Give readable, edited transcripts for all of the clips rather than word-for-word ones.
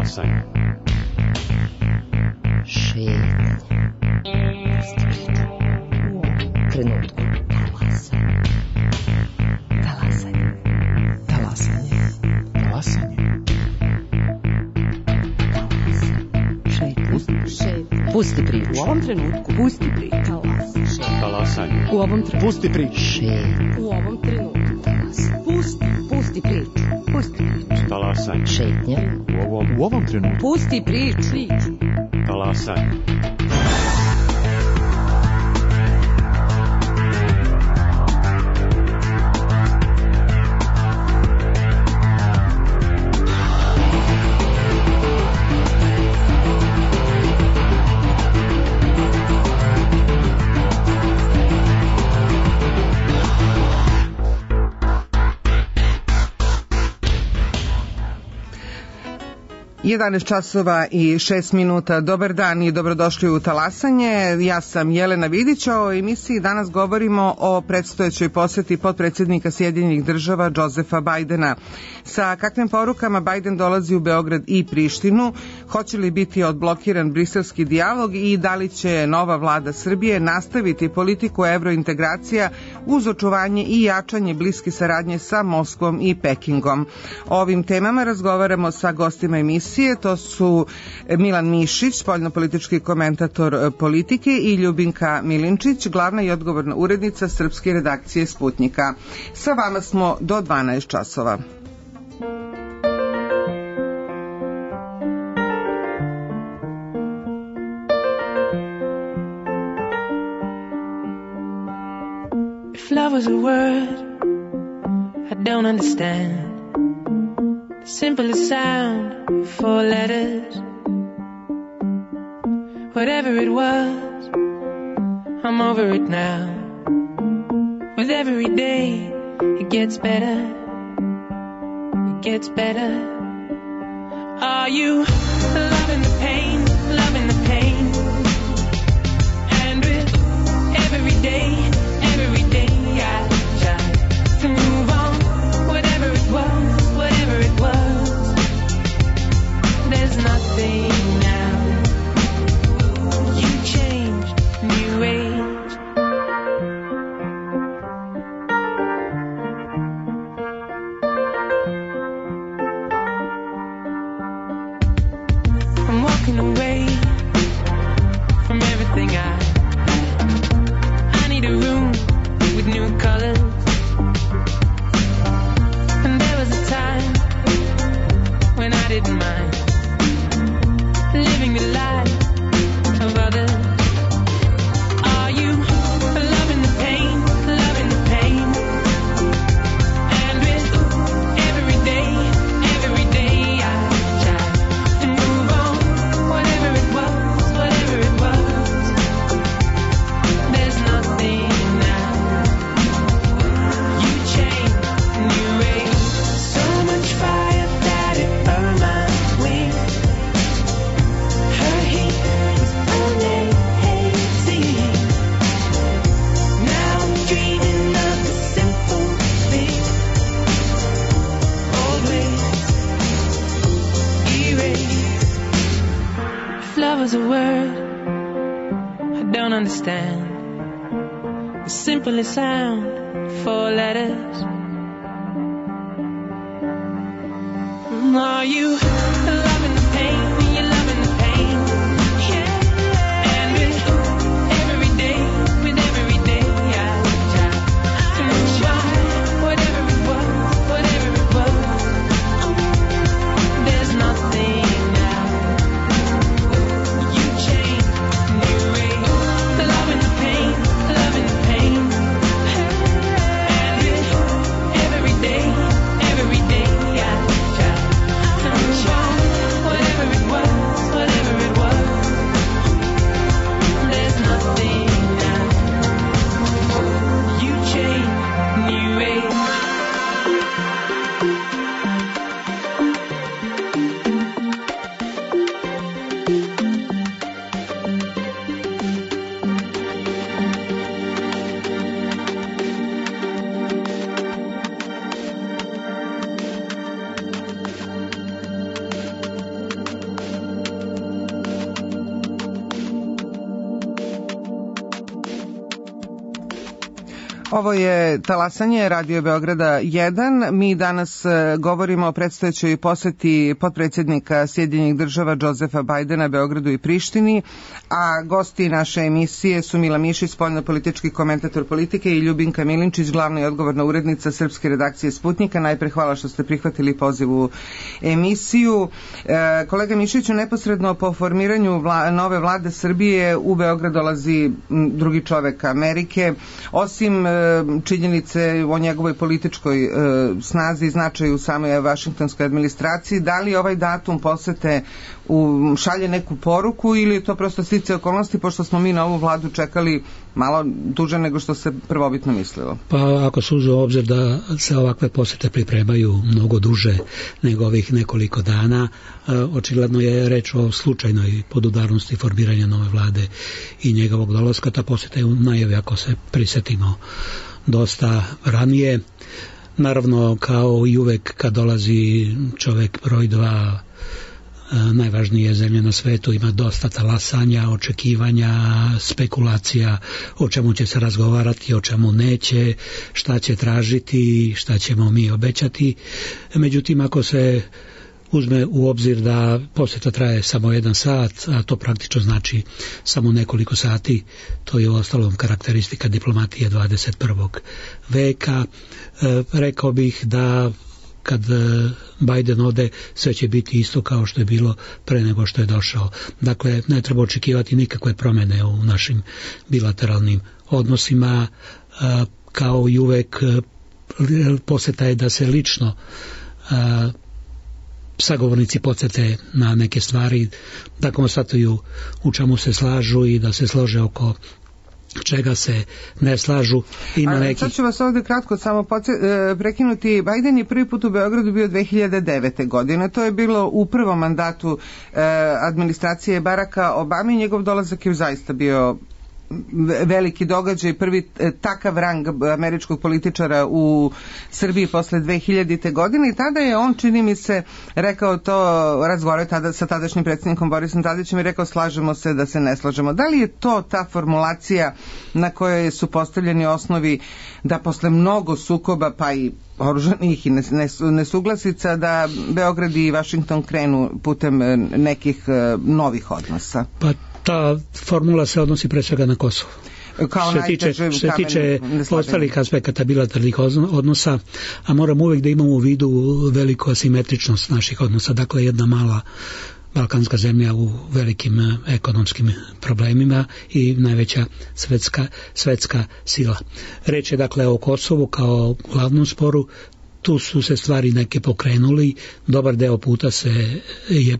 Talasanje. Šetnje. Trenutku. Talasanje. Talasanje. Talasanje. Šetnje. Pusti priču. U ovom trenutku. Pusti priču. Talasanje. U ovom trenutku. Pusti priču. Šetnje. U ovom trenutku. Pusti priču. Pusti priču. Talasanje. Šetnje. U ovom trenutku. Pusti priču. Talasanje. Jedanaest časova i 6 minuta. Dobar dan i dobrodošli u Talasanje. Ja sam Jelena Vidić. O emisiji danas govorimo o predstojećoj poseti potpredsjednika Sjedinjenih Država Josefa Bajdena. Sa kakvim porukama Bajden dolazi u Beograd i Prištinu? Hoće li biti odblokiran briselski dijalog i da li će nova vlada Srbije nastaviti politiku evrointegracija uz očuvanje i jačanje bliske saradnje sa Moskvom i Pekingom? O ovim temama razgovaramo sa gostima emisije. To su Milan Mišić, spoljnopolitički komentator Politike, i Ljubinka Milinčić, glavna i odgovorna urednica srpske redakcije Sputnjika. Sa vama smo do 12 časova. If love was a word I don't understand, the simplest sound, 4 letters. Whatever it was, I'm over it now. With every day, it gets better. It gets better. Are you loving the pain, loving the pain? And with every day I try to move on. Whatever it was, there's nothing now. You changed, new age. I'm walking away from everything I need a room with new colors. And there was a time when I didn't mind living the life of others. Are you loving the pain, loving the pain? And with every day I try to move on. Whatever it was, there's nothing now. You changed, new age. So much fire that it burned my wings. Her heat was burning hazy. Now I'm dreaming of the simple things. Old ways erased. If love was a word I don't understand, the simplest sound, 4 letters. Are you loving the pain? You're loving the pain. Yeah. And with every day I try to move on. Whatever it was, there's nothing now. You change, new age. Loving the pain, loving the pain. And with every day I try to move on. Ovo je Talasanje, Radio Beograda 1. Mi danas govorimo o predstojećoj poseti potpredsjednika Sjedinjenih država Josefa Bajdena Beogradu i Prištini, a gosti naše emisije su Mila Mišić, spoljnopolitički komentator politike, i Ljubinka Milinčić, glavna i odgovorna urednica srpske redakcije Sputnika. Najpre hvala što ste prihvatili poziv u emisiju. Kolega Mišiću, neposredno po formiranju nove vlade Srbije u Beograd dolazi drugi čovek Amerike. Osim činjenice o njegovoj političkoj snazi i značaju u samoj vašingtonskoj administraciji, da li ovaj datum posete šalje neku poruku ili je to prosto sticaje okolnosti, pošto smo mi na ovu vladu čekali malo duže nego što se prvobitno mislilo? Pa ako se uzme u obzir da se ovakve posete pripremaju mnogo duže nego ovih nekoliko dana, očigledno je reč o slučajnoj podudarnosti formiranja nove vlade i njegovog dolaska. Ta poseta je u najavi, ako se prisetimo, dosta ranije. Naravno, kao i uvek kad dolazi čovek broj 2 najvažnije zemlje na svetu, ima dosta talasanja, očekivanja, spekulacija o čemu će se razgovarati, o čemu neće, šta će tražiti, šta ćemo mi obećati. Međutim, ako se uzme u obzir da posjeta traje samo 1 sat, a to praktično znači samo nekoliko sati, to je u ostalom karakteristika diplomatije 21. veka. Rekao bih da kad Biden ode, sve će biti isto kao što je bilo pre nego što je došao. Dakle, ne treba očekivati nikakve promjene u našim bilateralnim odnosima. Kao i uvek, posjeta je da se lično sagovornici podsjete na neke stvari, da konstatuju u čemu se slažu i da se slože oko čega se ne slažu. Sad ću vas ovdje kratko samo prekinuti. Biden je prvi put u Beogradu bio 2009. godine. To je bilo u prvom mandatu administracije Baracka Obame i njegov dolazak je zaista bio veliki događaj, prvi takav rang američkog političara u Srbiji posle 2000. godine i tada je on, čini mi se, rekao to, razgovarao tada sa tadašnjim predsjednikom Borisom Tadićem i rekao slažemo se da se ne slažemo. Da li je to ta formulacija na kojoj su postavljeni osnovi da posle mnogo sukoba pa i oružanih i nesuglasica da Beograd i Vašington krenu putem nekih novih odnosa? Pa ta formula se odnosi pre svega na Kosovo. Što se tiče ostalih aspekata bilateralnih odnosa, a moramo uvijek da imamo u vidu veliku asimetričnost naših odnosa. Dakle, jedna mala balkanska zemlja u velikim ekonomskim problemima i najveća svetska sila. Reč je dakle o Kosovu kao glavnom sporu. Tu su se stvari neke pokrenuli, dobar deo puta je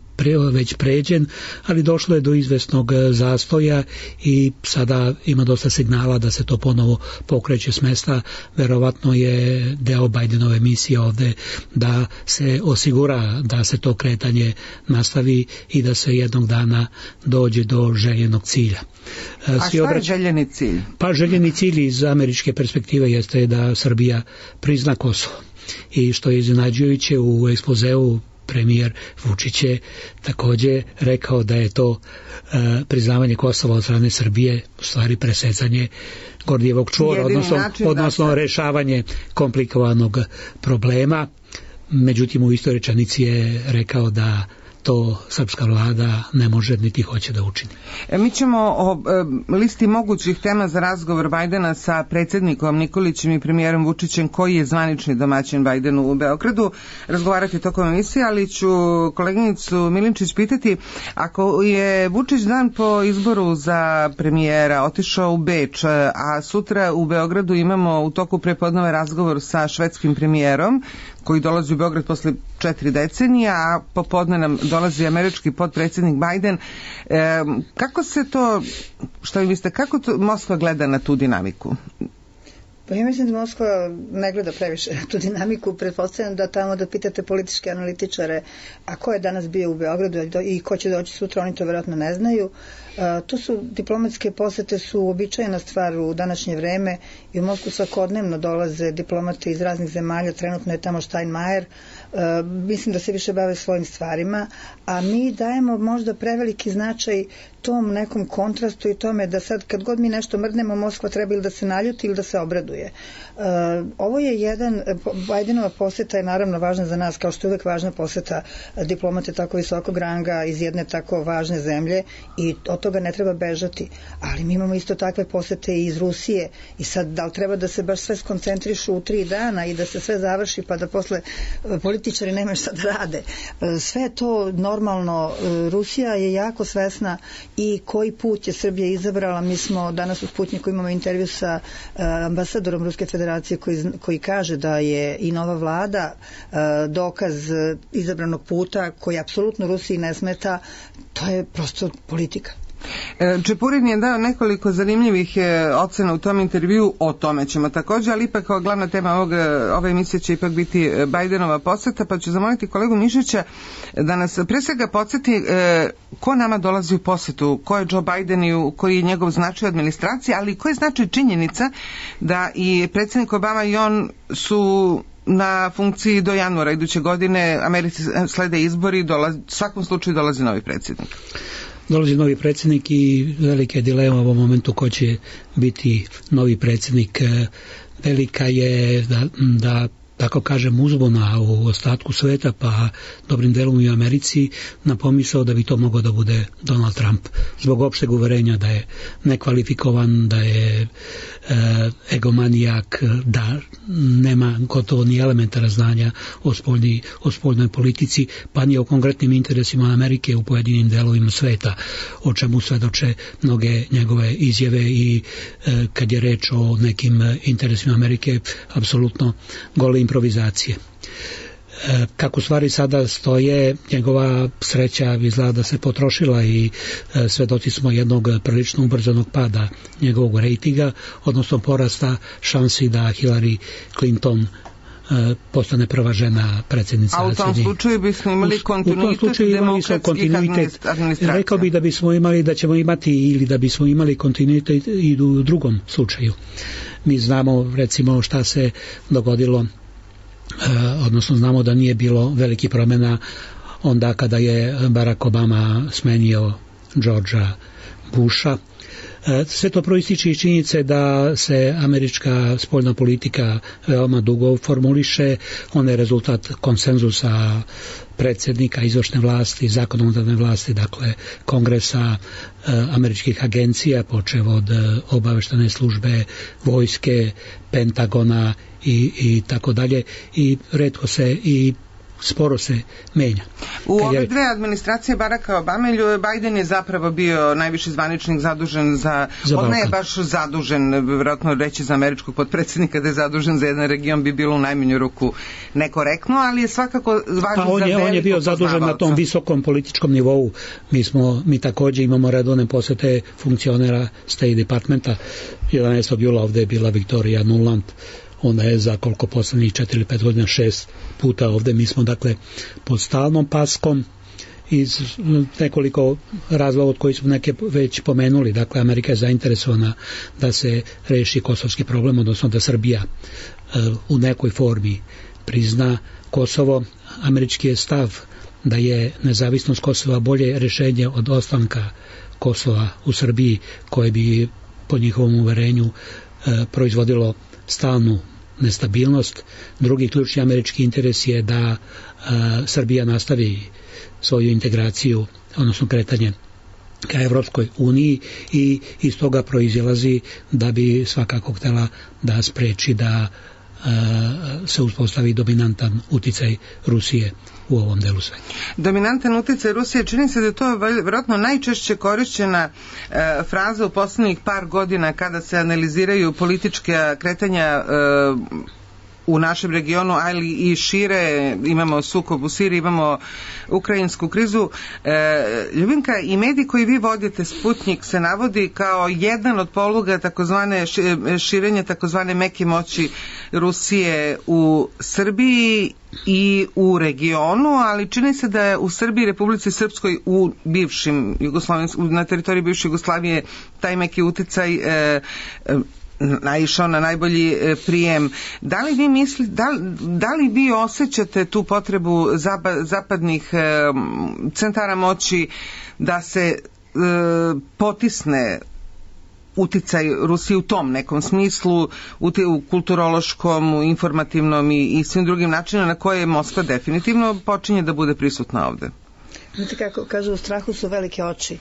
već pređen, ali došlo je do izvesnog zastoja i sada ima dosta signala da se to ponovo pokreće s mesta. Verovatno je deo Bidenove misije ovde da se osigura da se to kretanje nastavi i da se jednog dana dođe do željenog cilja. A šta je željeni cilj? Pa željeni cilj iz američke perspektive jeste da Srbija prizna Kosovo. I što je iznenađujuće, u ekspozeu premijer Vučić je također rekao da je to priznavanje Kosova od strane Srbije u stvari presecanje Gordijevog čvora, odnosno rešavanje komplikovanog problema. Međutim, u istoj rečenici je rekao da to srpska vlada ne može niti hoće da učini. Mi ćemo o listi mogućih tema za razgovor Bajdena sa predsjednikom Nikolićem i premijerom Vučićem, koji je zvanični domaćin Bajdenu u Beogradu, razgovarati tokom emisije, ali ću koleginicu Milinčić pitati, ako je Vučić dan po izboru za premijera otišao u Beč, a sutra u Beogradu imamo u toku prepodneva razgovor sa švedskim premijerom, koji dolazi u Beograd posle 4 decenija, a popodne nam dolazi američki potpredsjednik Biden. Kako se to, što vi mislite, kako to Moskva gleda na tu dinamiku? Pa ja mislim da Moskva ne gleda previše tu dinamiku. Pretpostavljam da tamo da pitate političke analitičare, a ko je danas bio u Beogradu i ko će doći sutra, oni to vjerojatno ne znaju. Tu su diplomatske posete su uobičajena stvar u današnje vreme i u Moskvu svakodnevno dolaze diplomati iz raznih zemalja, trenutno je tamo Steinmeier, mislim da se više bave svojim stvarima, a mi dajemo možda preveliki značaj tom nekom kontrastu i tome da sad kad god mi nešto mrdnemo, Moskva treba ili da se naljuti ili da se obraduje. Ovo je Bajdenova poseta je naravno važna za nas, kao što je uvek važna poseta diplomate tako visokog ranga iz jedne tako važne zemlje i od toga ne treba bežati. Ali mi imamo isto takve posete i iz Rusije i sad da li treba da se baš sve skoncentrišu u 3 dana i da se sve završi pa da posle političari nemaju šta da rade. Sve je to normalno. Rusija je jako svesna i koji put je Srbija izabrala. Mi smo danas u Sputniku imamo intervju sa ambasadorom Ruske federacije koji kaže da je i nova vlada dokaz izabranog puta koji apsolutno Rusiji ne smeta. To je prosto politika. Čepurin je dao nekoliko zanimljivih ocena u tom intervju, o tome ćemo također, ali ipak glavna tema ove emisije će ipak biti Bajdenova poseta, pa ću zamoliti kolegu Mišića da nas pre svega podsjeti ko nama dolazi u posetu, ko je Joe Biden i koji je njegov značaj administracije, ali koji je značaj činjenica da i predsjednik Obama i on su na funkciji do januara iduće godine, Americi slede izbori, u svakom slučaju dolazi novi predsjednik. Dolazi novi predsjednik i velike dilema u ovom momentu ko će biti novi predsjednik. Velika je da tako kažem uzbuna u ostatku sveta, pa dobrim delom i u Americi, na pomisao da bi to mogao da bude Donald Trump, zbog opšteg uverenja da je nekvalifikovan, da je egomanijak, da nema gotovo ni elementara znanja o spoljnoj politici, pa ni o konkretnim interesima Amerike u pojedinim delovima sveta, o čemu svedoče mnoge njegove izjave i kad je reč o nekim interesima Amerike, apsolutno gole improvizacije. Kako stvari sada stoje, njegova sreća izgleda da se potrošila i svedoci smo jednog prilično ubrzanog pada njegovog rejtinga, odnosno porasta šansi da Hillary Clinton postane prva žena predsjednica. A u tom slučaju bismo imali kontinuitet demokratskih administracija. Rekao bih da bismo imali, da ćemo imati ili da bismo imali kontinuitet i u drugom slučaju. Mi znamo recimo šta se dogodilo, odnosno znamo da nije bilo veliki promjena onda kada je Barack Obama smenio Georgea Busha. Sve to proističe iz činjenice da se američka spoljna politika veoma dugo formuliše, ona je rezultat konsenzusa predsjednika izvršne vlasti, zakonodavne vlasti, dakle kongresa, američkih agencija, počev od obaveštajne službe, vojske, Pentagona i tako dalje, i retko se i sporo se menja. U ove dve administracije Baracka Obame, Biden je zapravo bio najviši zvaničnik zadužen za on ne je baš zadužen, vjerojatno reći za američkog potpredsjednika da je zadužen za jedan region bi bilo u najmanju ruku nekorektno, ali je svakako važno za veliko on je bio zadužen na tom visokom političkom nivou. Mi također imamo redovne posete funkcionera State Departmenta. 11. jula ovdje je bila Victoria Nuland, ona je za koliko poslednjih 4 ili 5 godina 6 puta ovdje. Mi smo dakle pod stalnom paskom iz nekoliko razloga od kojih smo neke već pomenuli. Dakle, Amerika je zainteresovana da se reši kosovski problem, odnosno da Srbija u nekoj formi prizna Kosovo. Američki je stav da je nezavisnost Kosova bolje rješenje od ostanka Kosova u Srbiji, koje bi po njihovom uverenju proizvodilo stalnu nestabilnost. Drugi ključni američki interes je da Srbija nastavi svoju integraciju, odnosno kretanje ka Evropskoj uniji, i iz toga proizilazi da bi svakako htela da spreči da se uspostavi dominantan uticaj Rusije u ovom delu sveta. Dominantan uticaj Rusije, čini se da je to vjerojatno najčešće korišćena fraza u posljednjih par godina kada se analiziraju politička kretanja u našem regionu, ali i šire. Imamo sukob u Siriji, imamo ukrajinsku krizu. Ljubinka, i mediji koji vi vodite, Sputnik, se navodi kao jedan od poluga takozvane širenja takozvane meke moći Rusije u Srbiji i u regionu, ali čini se da je u Srbiji, Republici Srpskoj, u bivšim na teritoriji bivše Jugoslavije taj meki uticaj naišao na najbolji prijem. Da li vi mislite, da li vi osjećate tu potrebu zapadnih centara moći da se potisne uticaj Rusije u tom nekom smislu, u kulturološkom, u informativnom i svim drugim načinima na koje Moskva definitivno počinje da bude prisutna ovde? Znate kako kažu, u strahu su velike oči.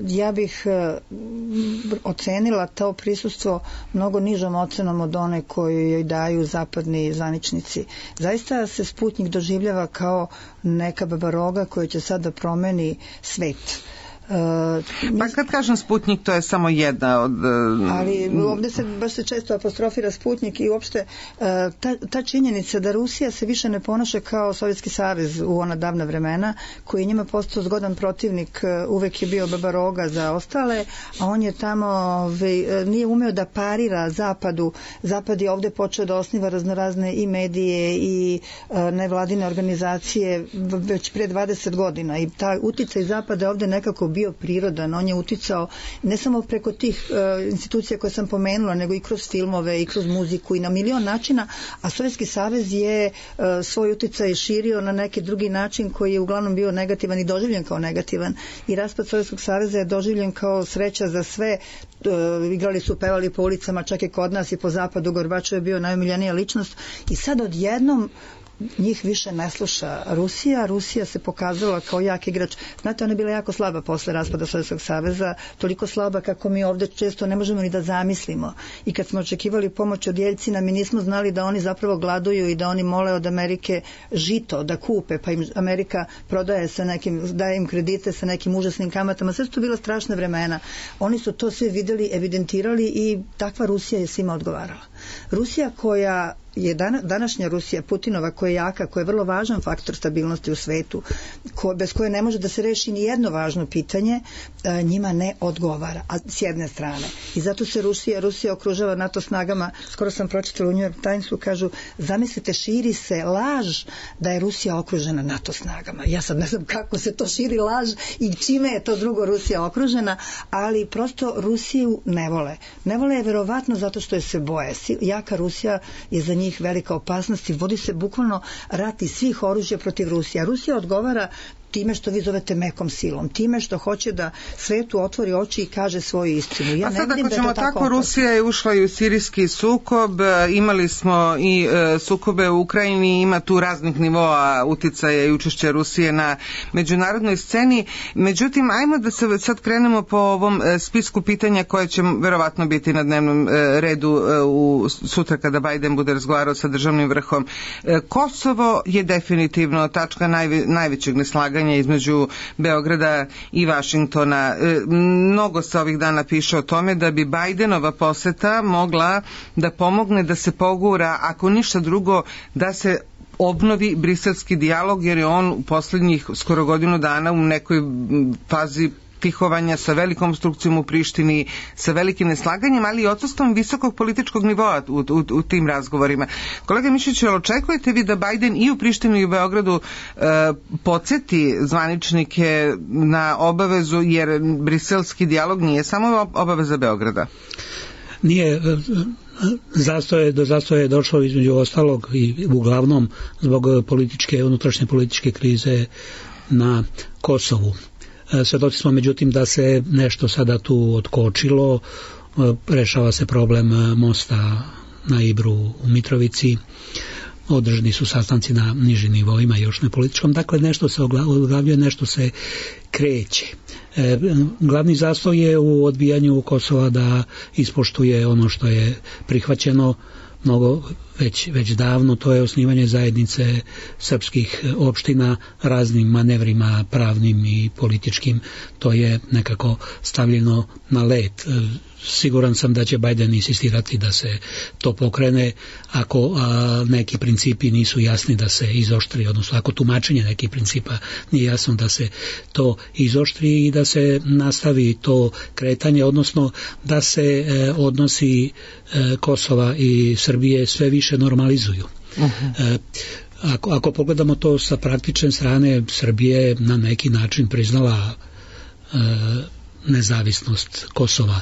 Ja bih ocenila to prisustvo mnogo nižom ocenom od one koju joj daju zapadni zvaničnici. Zaista se Sputnjik doživljava kao neka babaroga koja će sad da promeni svet. Pa kad kažem Sputnjik, to je samo jedna od... Ali ovde baš se često apostrofira Sputnjik i uopšte ta činjenica da Rusija se više ne ponaša kao Sovjetski savez u ona davna vremena, koji je njima postao zgodan protivnik, uvek je bio babaroga za ostale, a on je tamo nije umeo da parira Zapadu. Zapad je ovde počeo da osniva raznorazne i medije i nevladine organizacije već pre 20 godina i taj uticaj Zapada je ovde nekako bio prirodan, on je uticao ne samo preko tih institucija koje sam pomenula, nego i kroz filmove i kroz muziku i na milion načina, a Sovjetski savez je svoj uticaj širio na neki drugi način koji je uglavnom bio negativan i doživljen kao negativan i raspad Sovjetskog saveza je doživljen kao sreća za sve. Igrali su, pevali po ulicama, čak i kod nas i po zapadu, Gorbačov je bio najomiljenija ličnost i sad odjednom njih više ne sluša Rusija. Rusija se pokazala kao jak igrač. Znate, ona je bila jako slaba posle raspada Sovjetskog saveza, toliko slaba kako mi ovde često ne možemo ni da zamislimo. I kad smo očekivali pomoć od Jeljcina, mi nismo znali da oni zapravo gladuju i da oni mole od Amerike žito da kupe, pa im Amerika prodaje sa nekim, daje im kredite sa nekim užasnim kamatama. Sve su to bila strašna vremena. Oni su to sve videli, evidentirali i takva Rusija je svima odgovarala. Rusija koja je današnja Rusija, Putinova, koja je jaka, koja je vrlo važan faktor stabilnosti u svetu, bez koje ne može da se reši ni jedno važno pitanje, njima ne odgovara, a s jedne strane. I zato se Rusija okružava NATO snagama. Skoro sam pročitala u New York Timesu, kažu, zamislite, širi se laž da je Rusija okružena NATO snagama. Ja sad ne znam kako se to širi laž i čime je to drugo Rusija okružena, ali prosto Rusiju ne vole. Ne vole je verovatno zato što je se boje. Jaka Rusija je za njih velika opasnost i vodi se bukvalno rat iz svih oružja protiv Rusije. A Rusija odgovara time što vi zovete mekom silom, time što hoće da svetu otvori oči i kaže svoju istinu. Ja a sad ako ćemo tako, Rusija je ušla i u sirijski sukob, imali smo i sukobe u Ukrajini, ima tu raznih nivoa uticaja i učešća Rusije na međunarodnoj sceni. Međutim, ajmo da se sad krenemo po ovom spisku pitanja koje će verovatno biti na dnevnom redu sutra kada Biden bude razgovarao sa državnim vrhom. Kosovo je definitivno tačka najvećeg neslaganja između Beograda i Vašingtona. Mnogo se ovih dana piše o tome da bi Bidenova poseta mogla da pomogne da se pogura, ako ništa drugo, da se obnovi briselski dijalog, jer je on u poslednjih skoro godinu dana u nekoj fazi tihovanja sa velikom obstrukcijom u Prištini, sa velikim neslaganjem, ali i odsustvom visokog političkog nivoa u tim razgovorima. Kolega Mišić, očekujete vi da Biden i u Prištini i u Beogradu podsjeti zvaničnike na obavezu, jer briselski dijalog nije samo obaveza Beograda? Nije. Do zastoja je došlo između ostalog i uglavnom zbog unutrašnje političke krize na Kosovu. Svedoci smo međutim da se nešto sada tu otkočilo, rešava se problem mosta na Ibru u Mitrovici, održani su sastanci na nižim nivoima, još ne političkom, dakle nešto se oglavljuje, nešto se kreće. Glavni zastoj je u odbijanju Kosova da ispoštuje ono što je prihvaćeno mnogo već davno, to je osnivanje zajednice srpskih opština raznim manevrima pravnim i političkim, to je nekako stavljeno na led. Siguran sam da će Biden insistirati da se to pokrene ako neki principi nisu jasni da se izoštri, odnosno ako tumačenje nekih principa nije jasno da se to izoštri i da se nastavi to kretanje, odnosno da se odnosi Kosova i Srbije sve više normalizuju. Ako pogledamo to sa praktične strane, Srbija je na neki način priznala nezavisnost Kosova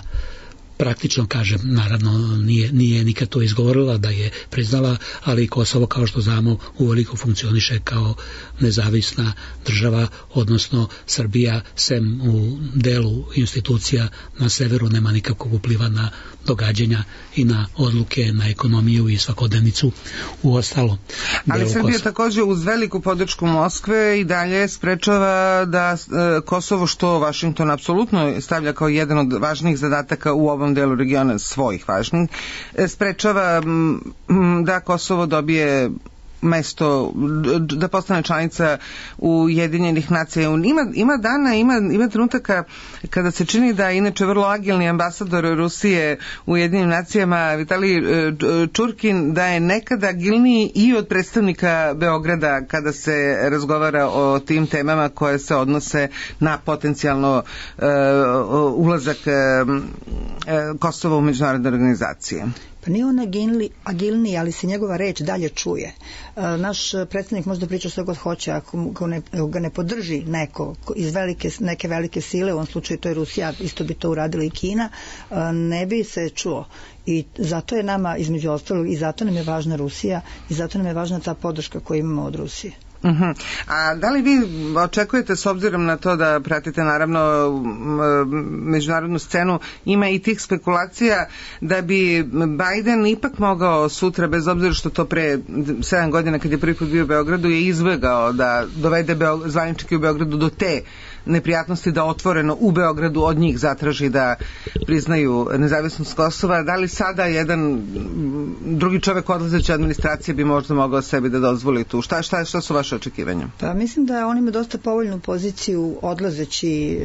praktično, kažem, naravno nije nikad to izgovorila da je priznala, ali Kosovo, kao što znamo, uveliko funkcioniše kao nezavisna država, odnosno Srbija, sem u delu institucija na severu, nema nikakvog upliva na događanja i na odluke, na ekonomiju i svakodnevnicu u ostalo. Ali Srbija također uz veliku podršku Moskve i dalje sprečava da Kosovo, što Vašington apsolutno stavlja kao jedan od važnijih zadataka u ovom delu regiona, svojih važnijih, sprečava da Kosovo dobije mesto, da postane članica Ujedinjenih nacija. Ima dana, ima trenutaka kada se čini da inače vrlo agilni ambasador Rusije u Ujedinjenim nacijama Vitalij Čurkin da je nekada agilniji i od predstavnika Beograda kada se razgovara o tim temama koje se odnose na potencijalno ulazak Kosova u međunarodne organizacije. Pa nije on agilniji, ali se njegova reč dalje čuje. Naš predstavnik možda priča što god hoće, ako ga ne podrži neko iz neke velike sile, u ovom slučaju to je Rusija, isto bi to uradila i Kina, ne bi se čuo. I zato je nama, između ostalog, i zato nam je važna Rusija, i zato nam je važna ta podrška koju imamo od Rusije. A da li vi očekujete, s obzirom na to da pratite naravno međunarodnu scenu, ima i tih spekulacija da bi Biden ipak mogao sutra, bez obzira što to pre 7 godina kad je prvi put bio u Beogradu, je izbegao da dovede zvaničnike u Beogradu do te neprijatnosti da otvoreno u Beogradu od njih zatraži da priznaju nezavisnost Kosova. Da li sada jedan drugi čovjek odlazeći administracije bi možda mogao sebi da dozvoli tu? Šta su vaše očekivanja? Pa mislim da on ima dosta povoljnu poziciju odlazeći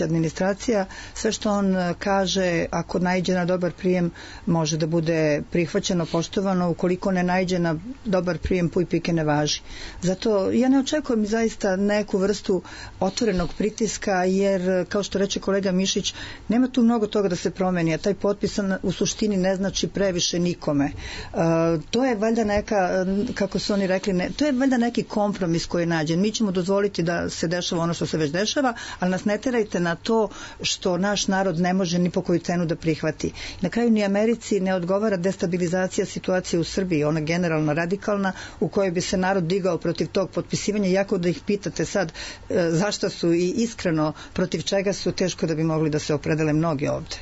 administracija. Sve što on kaže, ako naiđe na dobar prijem, može da bude prihvaćeno, poštovano. Ukoliko ne naiđe na dobar prijem, puj pike ne važi. Zato ja ne očekujem zaista neku vrstu otvorenog pritiska, jer kao što reče kolega Mišić, nema tu mnogo toga da se promeni, a taj potpis u suštini ne znači previše nikome. To je valjda neka, kako su oni rekli, to je valjda neki kompromis koji je nađen. Mi ćemo dozvoliti da se dešava ono što se već dešava, ali nas ne terajte na to što naš narod ne može ni po koju cenu da prihvati. Na kraju ni Americi ne odgovara destabilizacija situacije u Srbiji, ona generalno radikalna, u kojoj bi se narod digao protiv tog potpisivanja, iako da ih pitate sad zašto su i iskreno protiv čega su, teško da bi mogli da se opredele mnogi ovde.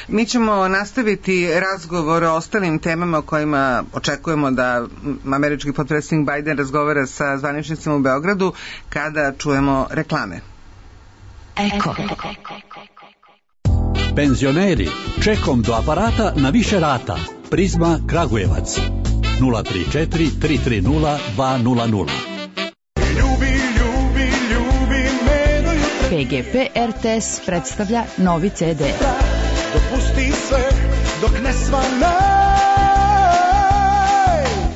Mi ćemo nastaviti razgovor o ostalim temama o kojima očekujemo da američki potpredsjednik Biden razgovara sa zvaničnicima u Beogradu kada čujemo reklame. Eko. Penzioneri, čekom do aparata na više rata. Prizma Kragujevac 034 330 200. PGP RTS predstavlja novi CD. Dopusti sve dok ne svanaj.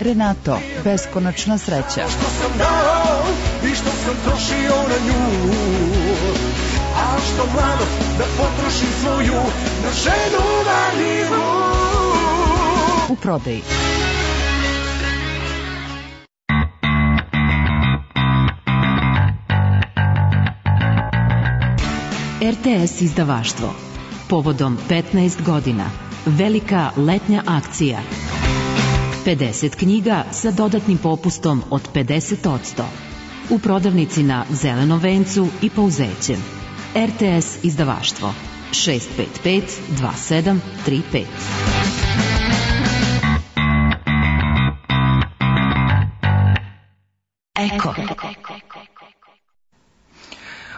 Renato, beskonačna sreća. Što sam dao i što sam trošio na nju, a što mlado da potrošim svoju na ženu valjivu. U prodaji. RTS izdavaštvo. Povodom 15 godina. Velika letnja akcija. 50 knjiga sa dodatnim popustom od 50%. U prodavnici na Zelenom vencu i Pouzećem. RTS izdavaštvo. 655 2735. Eko.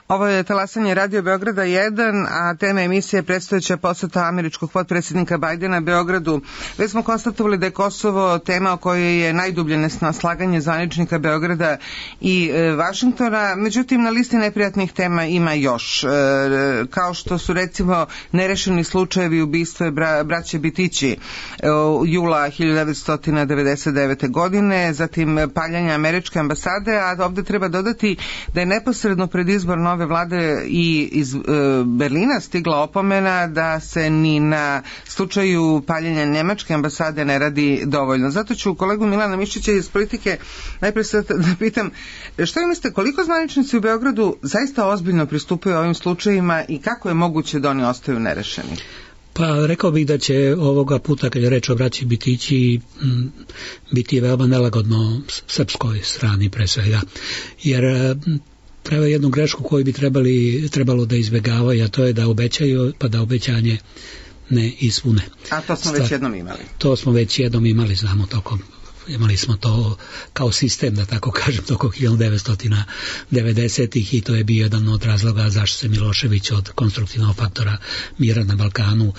Ovo je talasanje Radio Beograda 1, a tema emisije je predstojeća poseta američkog potpredsjednika Bajdena Beogradu. Već smo konstatovali da je Kosovo tema o kojoj je najdublje neslaganje zvaničnika Beograda i Vašingtona, međutim na listi neprijatnih tema ima još, kao što su recimo nerešeni slučajevi ubistva braće Bitići jula 1999. godine, zatim paljanje američke ambasade, a ovde treba dodati da je neposredno pred izbor nove vlade i iz Berlina stigla opomena da se ni na slučaju paljenja nemačke ambasade ne radi dovoljno. Zato ću kolegu Milana Mišića iz politike najprije da pitam, što vi mislite, koliko zvaničnici u Beogradu zaista ozbiljno pristupaju ovim slučajima i kako je moguće da oni ostaju nerešeni? Pa rekao bih da će ovoga puta, kad je reč o braći Bitići, biti veoma nelagodno srpskoj strani pre svega, jer prave jednu grešku koju bi trebalo da izbjegavaju, a to je da obećaju, pa da obećanje ne ispune. A to smo već jednom imali. To smo već jednom imali, znamo tokom. Imali smo to kao sistem, da tako kažem, tokom 1990-ih i to je bio jedan od razloga zašto se Milošević od konstruktivnog faktora mira na Balkanu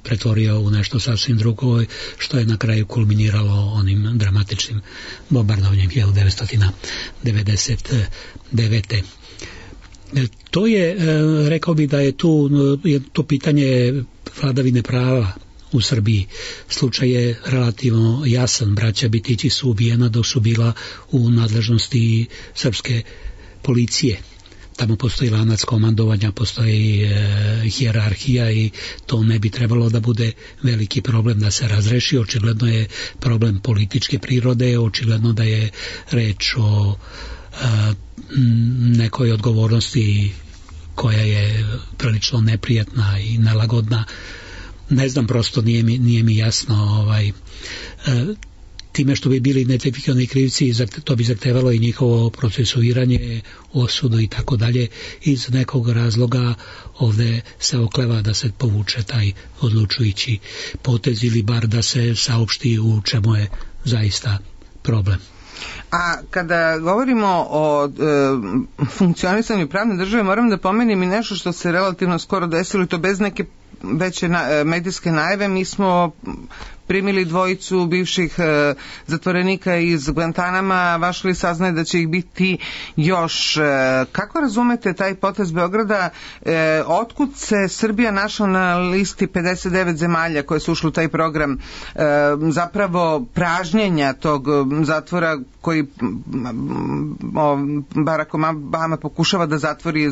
pretvorio u nešto sasvim drugo, što je na kraju kulminiralo onim dramatičnim bombardovanjem 1999. To je, rekao bih da je to pitanje vladavine prava u Srbiji. Slučaj je relativno jasan. Braća Bitići su ubijena dok su bila u nadležnosti srpske policije. Tamo postoji lanac komandovanja, postoji hijerarhija i to ne bi trebalo da bude veliki problem da se razreši. Očigledno je problem političke prirode, očigledno da je reč o nekoj odgovornosti koja je prilično neprijatna i nelagodna. Ne znam, prosto nije mi jasno time što bi bili identifikovani krivci, to bi zahtevalo i njihovo procesuiranje, osudu i tako dalje. Iz nekog razloga ovde se okleva da se povuče taj odlučujući potez ili bar da se saopšti u čemu je zaista problem. A kada govorimo o funkcionisanju pravne države, moram da pomenem i nešto što se relativno skoro desilo, i to bez neke veće medijske najave. Mi smo primili dvojicu bivših zatvorenika iz Guantanama, vaš li saznaje da će ih biti još. Kako razumete taj potez Beograda? Otkud se Srbija našla na listi 59 zemalja koje su ušli u taj program zapravo pražnjenja tog zatvora koji Barack Obama pokušava da zatvori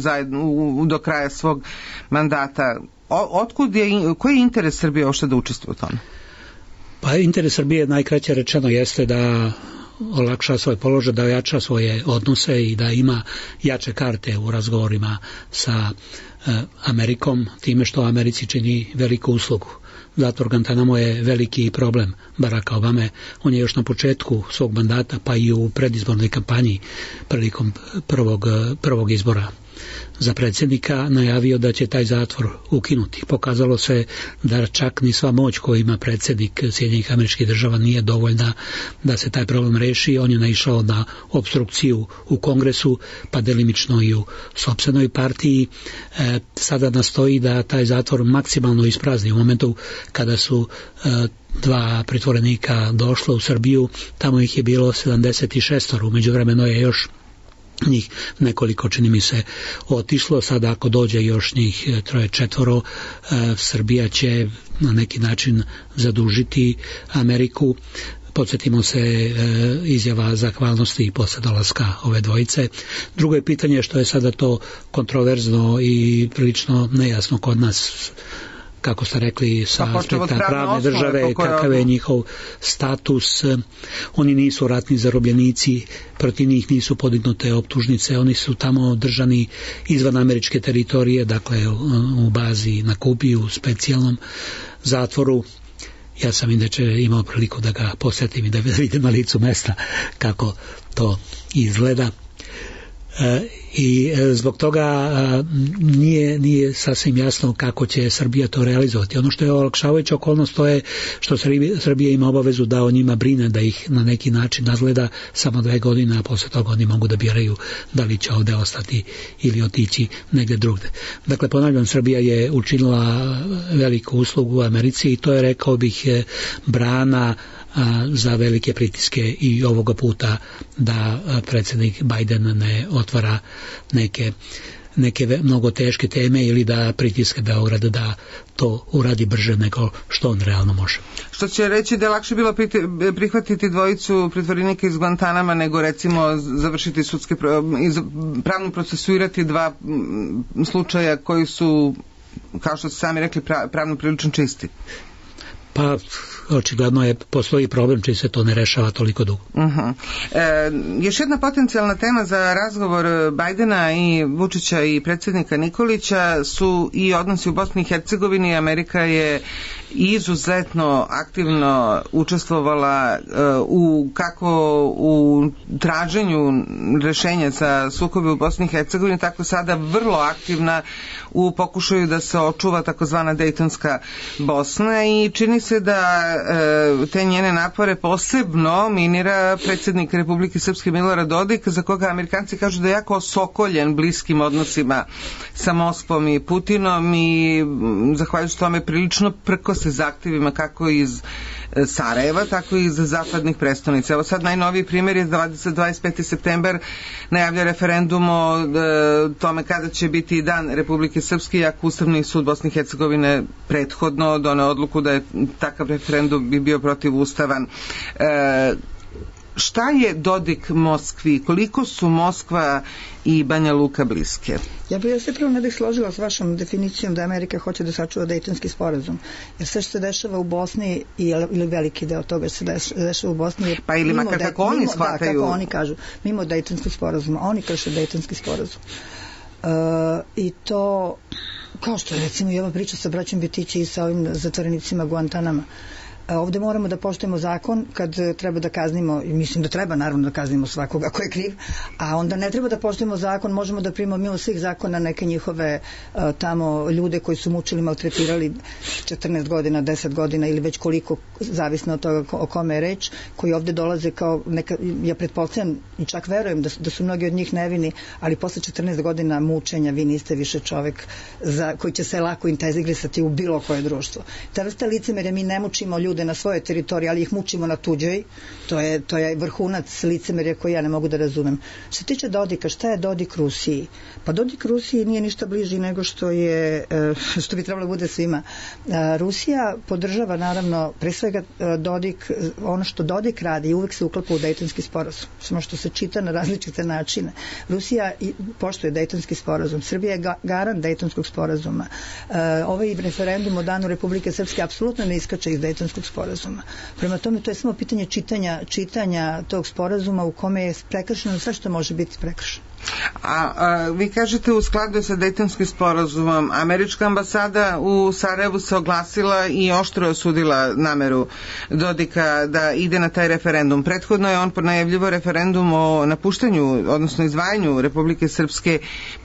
do kraja svog mandata? Koji je interes Srbije uopšte da učestvuje u tome? Pa interes Srbije, najkraće rečeno, jeste da olakša svoj položaj, da ojača svoje odnose i da ima jače karte u razgovorima sa Amerikom, time što Americi čini veliku uslugu. Zatvor Guantanamo je veliki problem Baracka Obame. On je još na početku svog mandata, pa i u predizbornoj kampanji prilikom prvog izbora za predsjednika najavio da će taj zatvor ukinuti. Pokazalo se da čak ni sva moć koju ima predsjednik Sjedinjenih Američkih Država nije dovoljna da se taj problem reši. On je naišao na opstrukciju u Kongresu, pa delimično i u sopstvenoj partiji. Sada nastoji da taj zatvor maksimalno isprazni. U momentu kada su dva pritvorenika došla u Srbiju, tamo ih je bilo 76, u međuvremenu je još njih nekoliko, čini mi se, otišlo. Sada ako dođe još njih 3-4, Srbija će na neki način zadužiti Ameriku. Podsjetimo se izjava zahvalnosti posle dolaska ove dvojice. Drugo je pitanje što je sada to kontroverzno i prilično nejasno kod nas, kako ste rekli, sa aspekta pravne države, kakav je njihov status. Oni nisu ratni zarobljenici, protiv njih nisu podignute optužnice, oni su tamo držani izvan američke teritorije, dakle u bazi na Kubi, u specijalnom zatvoru. Ja sam inače imao priliku da ga posjetim i da vidim na licu mesta kako to izgleda. I zbog toga nije sasvim jasno kako će Srbija to realizovati. Ono što je olakšavajuća okolnost, to je što Srbija ima obavezu da o njima brine, da ih na neki način nadgleda samo 2 godine, a posle toga oni mogu da biraju da li će ovde ostati ili otići negde drugde. Dakle, ponavljam, Srbija je učinila veliku uslugu u Americi i to je, rekao bih, brana za velike pritiske i ovoga puta da predsjednik Biden ne otvara neke mnogo teške teme ili da pritiske Beograd da to uradi brže nego što on realno može. Što će reći da je lakše bilo prihvatiti dvojicu pritvorenika iz Guantanama nego recimo završiti pravno procesuirati 2 slučaja koji su, kao što ste sami rekli, pravno prilično čisti? Pa očigledno postoji problem čiji se to ne rešava toliko dugo. Još jedna potencijalna tema za razgovor Bajdena i Vučića i predsjednika Nikolića su i odnosi u Bosni i Hercegovini. Amerika je izuzetno aktivno učestvovala kako u traženju rešenja za sukobe u Bosni i Hercegovini, tako sada vrlo aktivna u pokušaju da se očuva takozvana Dejtonska Bosna i čini se da te njene napore posebno minira predsjednik Republike Srpske Milorad Dodik, za koga Amerikanci kažu da je jako osokoljen bliskim odnosima sa Moskvom i Putinom i zahvaljujući tome prilično prko se zahtjevima kako iz Sarajeva, tako i iz zapadnih prestonica. Evo sad najnoviji primjer je 25. september najavlja referendum o tome kada će biti dan Republike Srpske, iako Ustavni sud Bosne i Hercegovine prethodno doneo odluku da je takav referendum bi bio protivustavan. Šta je Dodik Moskvi? Koliko su Moskva i Banja Luka bliske? Ja se prvo ne bih složila s vašom definicijom da Amerika hoće da sačuva Dejtonski sporazum. Jer sve što se dešava u Bosni ili veliki deo toga se dešava u Bosni. Pa ili makar kako oni shvataju. Da, kako oni kažu. Mimo Dejtonskog sporazuma. Oni krše Dejtonski sporazum. I to, kao što je recimo i ova priča sa braćom Bitići i sa ovim zatvorenicima Guantanama. Ovde moramo da poštujemo zakon kad treba da kaznimo, i mislim da treba naravno da kaznimo svakoga ko je kriv, a onda ne treba da poštujemo zakon, možemo da primimo mimo svih zakona neke njihove tamo ljude koji su mučili, maltretirali 14 godina, 10 godina ili već koliko, zavisno od toga o kome je reč, koji ovde dolaze kao neka, ja pretpostavljam i čak verujem da su mnogi od njih nevini, ali posle 14 godina mučenja vi niste više čovek koji će se lako integrisati u bilo koje društvo. Ta vrsta licemerja, mi ne mučimo ljude na svojoj teritoriji, ali ih mučimo na tuđoj, to je vrhunac licemerja koji ja ne mogu da razumem. Što se tiče Dodika, šta je Dodik Rusiji? Pa Dodik Rusiji nije ništa bliži nego što bi trebalo da bude svima. Rusija podržava naravno pre svega Dodik, ono što Dodik radi uvek se uklapa u Dejtonski sporazum, samo što se čita na različite načine. Rusija poštuje Dejtonski sporazum, Srbija je garant Dejtonskog sporazuma. Ovaj referendum o danu Republike Srpske apsolutno ne iskače iz Dejtonskog sporazuma. Prema tome, to je samo pitanje čitanja tog sporazuma u kome je prekršeno sve što može biti prekršeno. A vi kažete u skladu sa Dejtonskim sporazumom, američka ambasada u Sarajevu se oglasila i oštro osudila nameru Dodika da ide na taj referendum. Prethodno je on najavljivo referendum o napuštanju, odnosno izdvajanju Republike Srpske,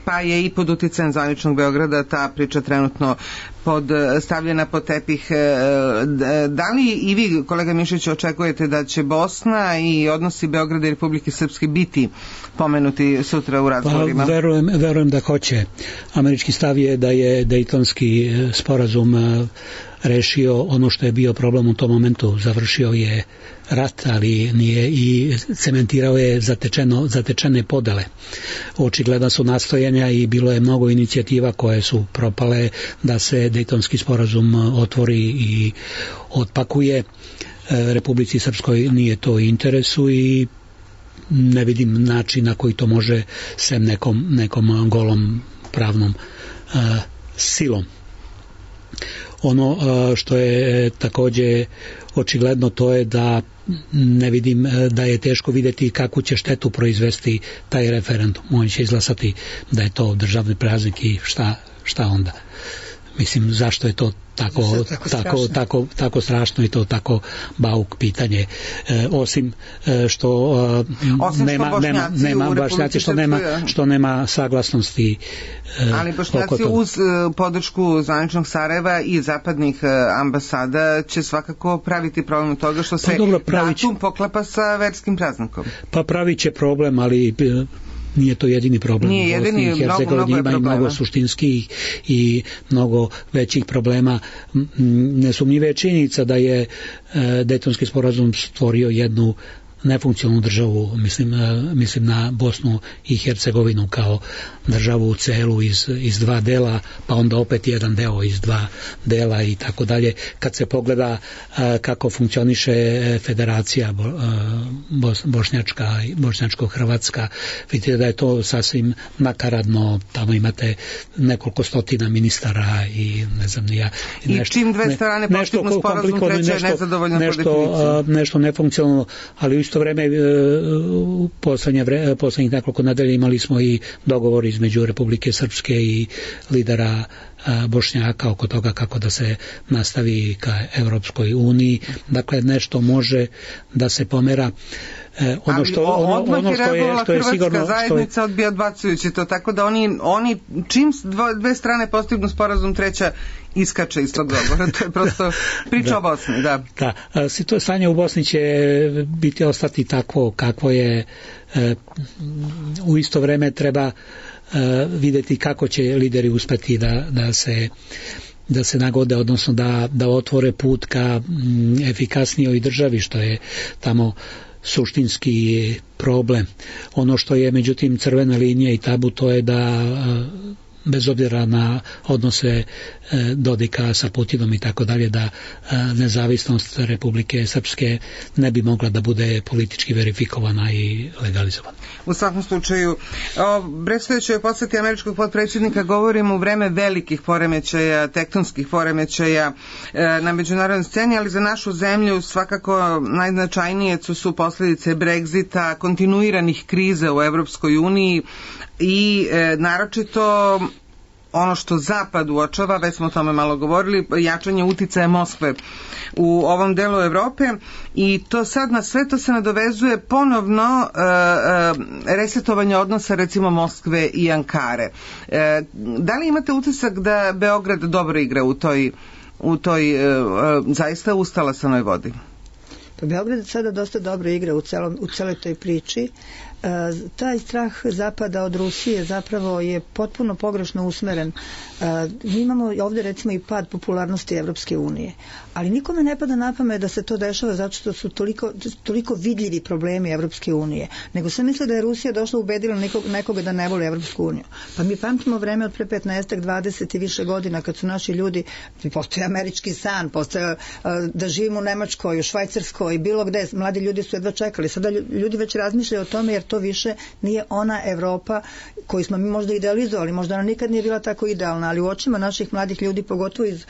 pa je i pod uticajem zvaničnog Beograda ta priča trenutno stavljena pod tepih. Da li i vi, kolega Mišić, očekujete da će Bosna i odnosi Beograda i Republike Srpske biti pomenuti sutra u razgovorima? Pa, verujem da hoće. Američki stav je da je Dejtonski sporazum rešio ono što je bio problem u tom momentu. Završio je rat, ali nije i cementirao je zatečene podele. Očigledno su nastojanja i bilo je mnogo inicijativa koje su propale da se Dejtonski sporazum otvori i otpakuje. Republici Srpskoj nije to interesu i ne vidim način na koji to može sem nekom golom pravnom silom. Ono što je takođe očigledno to je da ne vidim da je teško videti kakvu će štetu proizvesti taj referendum. On će izglasati da je to državni praznik i šta onda? Mislim, zašto je to tako strašno i to tako bauk pitanje, osim što što nema saglasnosti ali Bošnjaci uz podršku zvaničnog Sarajeva i zapadnih ambasada će svakako praviti problem toga što se datum poklapa sa verskim praznikom. Pa pravit će problem, ali nije to jedini problem. Nije jedini, mnogo je problema. Mnogo suštinskih i mnogo većih problema. Nesumnjiva je činjenica da je Dejtonski sporazum stvorio jednu nefunkcionalnu državu, mislim na Bosnu i Hercegovinu kao državu u celu iz dva dela, pa onda opet jedan deo iz dva dela i tako dalje. Kad se pogleda kako funkcioniše federacija bošnjačko-hrvatska, vidite da je to sasvim nakaradno, tamo imate nekoliko stotina ministara i ne znam ni ja. I čim dve strane postignu sporazum, treća je nezadovoljna po definiciji. Nešto nefunkcionalno, ali u isto vreme poslednjih nekoliko nedelja imali smo i dogovor između Republike Srpske i lidera Bošnjaka oko toga kako da se nastavi ka Evropskoj uniji. Dakle, nešto može da se pomera. Ono što je sigurno, Hrvatska zajednica odbija odbacujući to, tako da oni čim dve strane postignu sporazum, treća iskače iz tog dogovora. To je prosto priča o Bosni. Da. To stanje u Bosni će ostati takvo kakvo je. U isto vreme treba vidjeti kako će lideri uspeti da se nagode, odnosno da otvore put ka efikasnijoj državi, što je tamo suštinski problem. Ono što je međutim crvena linija i tabu, to je da bez obzira na odnose Dodika sa Putinom i tako dalje, da nezavisnost Republike Srpske ne bi mogla da bude politički verifikovana i legalizovana. U svakom slučaju, o predstojećoj poseti američkog potpredsjednika govorimo u vreme velikih poremećaja, tektonskih poremećaja na međunarodnoj sceni, ali za našu zemlju svakako najznačajnije su posljedice Brexita, kontinuiranih kriza u Evropskoj uniji i naročito ono što Zapad uočava, već smo o tome malo govorili, jačanje uticaja Moskve u ovom delu Evrope, i to sad na sve to se nadovezuje ponovno resetovanje odnosa recimo Moskve i Ankare. Da li imate utisak da Beograd dobro igra u toj zaista ustalasanoj vodi? Pa Beograd sada dosta dobro igra u celoj toj priči. Taj strah Zapada od Rusije zapravo je potpuno pogrešno usmeren. Mi imamo ovdje recimo i pad popularnosti Evropske unije, ali nikome ne pada na pamet da se to dešava zato što su toliko vidljivi problemi Evropske unije, nego se misle da je Rusija došla ubedila nekoga da ne voli Evropsku uniju. Pa mi pamtimo vreme od pre 15, 20 i više godina kad su naši ljudi, postoje američki san, postoje da živimo u Nemačkoj, u Švajcarskoj, bilo gde, mladi ljudi su jedva čekali. Sada ljudi već razmišljaju o tome jer to više nije ona Evropa koju smo mi možda idealizovali, možda ona nikad nije bila tako idealna, ali u očima naših mladih ljudi, pogotovo iz